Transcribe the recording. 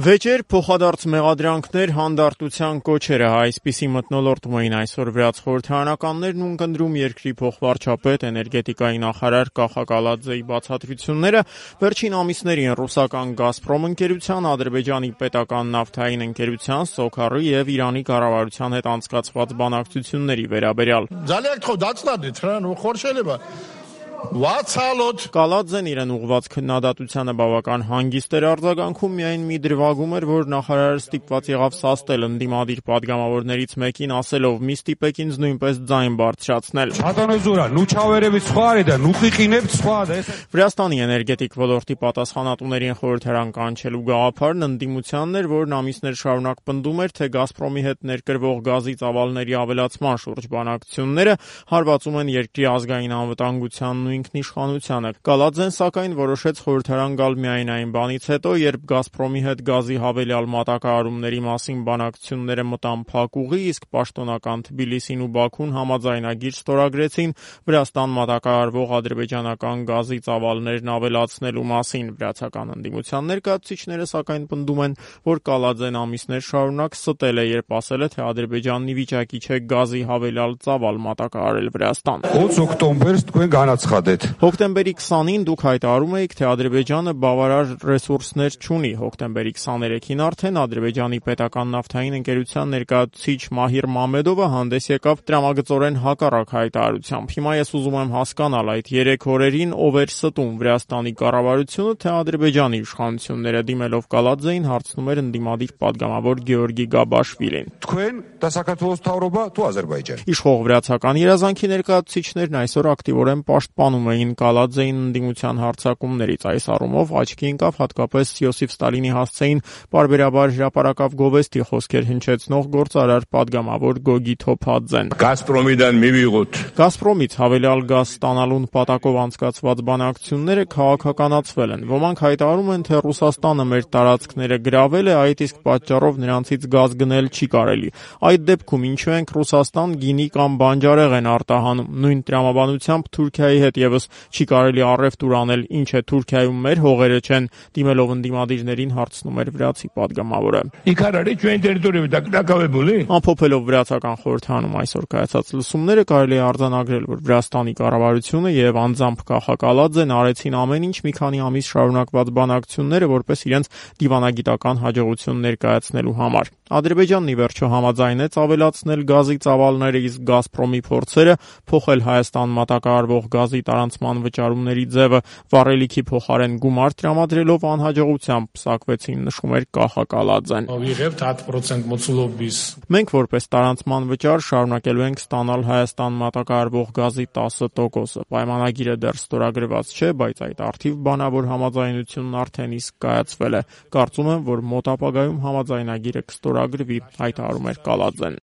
Վեճեր, փոխադարձ մեղադրանքներ, հանդարտության կոչերը այսպիսի մթնոլորտում էին այսօր վրաց խորհրդարանականներն ու ընկնդրում երկրի փոխվարչապետ, էներգետիկայի նախարար Կախակալաձեի բացատրությունները վերջին ամիսներին ռուսական «Գազպրոմ» ընկերության, Ադրբեջանի պետական նավթային ընկերության, Սոքարի և Իրանի կառավարության հետ անցկացված բանակցությունների վերաբերյալ։ Կալաձեն իրեն ուղղված քննադատությանը բավական հանգիստ էր արձագանքում, միայն մի դրվագում էր, որ նախարարը ստիպված եղավ սաստել ընդդիմադիր պատգամավորներից մեկին, ասելով՝ մի ստիպեք ինձ նույնպես ձայն բարձրացնել։ Վրաստանի էներգետիկ ոլորտի պատասխանատուներին խորհրդարան կանչելու գաղափարն ընդդիմությանն էր, որն ամիսներ շարունակ պնդում էր, թե «Գազպրոմի» հետ ներկրվող գազի ծավալների ավելացման շուրջ բանակցությունները հարվածում են երկրի ազգային անվտանգությանն ու ինքնիշխանությանը։ Կալաձեն, սակայն, որոշեց խորհրդարան գալ միայն այն բանից հետո, երբ «Գազպրոմի» հետ գազի հավելյալ մատակարարումների մասին բանակցությունները մտան փակ ուղի, իսկ պաշտոնական Թբիլիսին ու Բաքուն համաձայնագիր ստորագրեցին Վրաստան մատակարարվող ադրբեջանական գազի ծավալներն ավելացնելու մասին։ Վրացական ընդդիմության ներկայացուցիչները, սակայն, պնդում են, որ Կալաձեն ամիսներ շարունակ ստել է, երբ ասել է, թե Ադրբեջանն ի վիճակի չէ գազի հավելյալ ծավալ մատակարարել Վրաստան։ Հոկտեմբերի 20-ին դուք հայտարարում էիք, թե Ադրբեջանը բավարար ռեսուրսներ չունի։ Հոկտեմբերի 23-ին արդեն Ադրբեջանի պետական նավթային ընկերության ներկայացուցիչ Մահիր Մամեդովը հանդես եկավ տրամագծորեն հակառակ հայտարարությամբ։ Հիմա ես ուզում եմ հասկանալ, այդ 3 օրերին ով էր ստում՝ Վրաստանի կառավարությունը, թե Ադրբեջանի իշխանությունները, դիմելով Կալաձեին, հարցնում էր ընդդիմադիր պատգամավոր Գեորգի Գաբաշվիլին։ Իշխող վրացական երազանքի ներկայացուցիչներն այսօր ակտիվորեն պաշտպանում էին Կալաձեին ընդդիմության հարձակումներից։ Այս առումով աչքի ընկավ հատկապես Յոսիֆ Ստալինի հասցեին պարբերաբար հրապարակավ գովեստի խոսքեր հնչեցնող գործարար պատգամավոր Գոգի Թոփաձեն։ «Գազպրոմից հավելյալ գազ ստանալու նպատակով անցկացված բանակցությունները քաղաքականացվել են։ Ոմանք հայտարարում են, թե Ռուսաստանը մեր տարածքները գրավել է, այդ իսկ պատճառով նրանցից գազ գնել չի կարելի։ Այդ դեպքում ինչու ենք Ռուսաստան գինի կամ բանջարեղեն արտահանում։ Նույն տրամաբանությամբ Թուրքիայի հետ ևս չի կարելի առևտուր անել, ինչ է Թուրքիայում մեր հողերը չեն», դիմելով ընդդիմադիրներին հարցնում էր վրացի պատգամավորը։ Ամփոփելով վրացական խորհրդարանում այսօր կայացած լսումները, կարելի է արձանագրել, որ Վրաստանի կառավարությունը և անձամբ Կախակալաձեն արեցին ամեն ինչ մի քանի ամիս շարունակված բանակցությունները որպես իրենց դիվանագիտական հաջողություն ներկայացնելու համար։ Ադրբեջանն ի վերջո համաձայնեց ավելացնել գազի ծավալները, իսկ «Գազպրոմի» փորձերը փոխել Հայաստան մատակարարվող գազի տարանցման վճարումների ձևը վառելիքի փոխարեն գումար տրամադրելով անհաջողությամբ պսակվեցին, նշում էր Կախակալաձեն։ Մենք որպես տարանցման վճար շարունակելու ենք ստանալ Հայաստան մատակարարվող գազի 10%-ը։ Պայմանագիրը դեռ ստորագրված չէ, բայց այդ առթիվ բանավոր համաձայնությունն արդեն իսկ կայացվել է։ Կարծում եմ, որ մոտ ապագայում համաձայնագիրը կստորագրվի, հայտարարում էր Կալաձեն։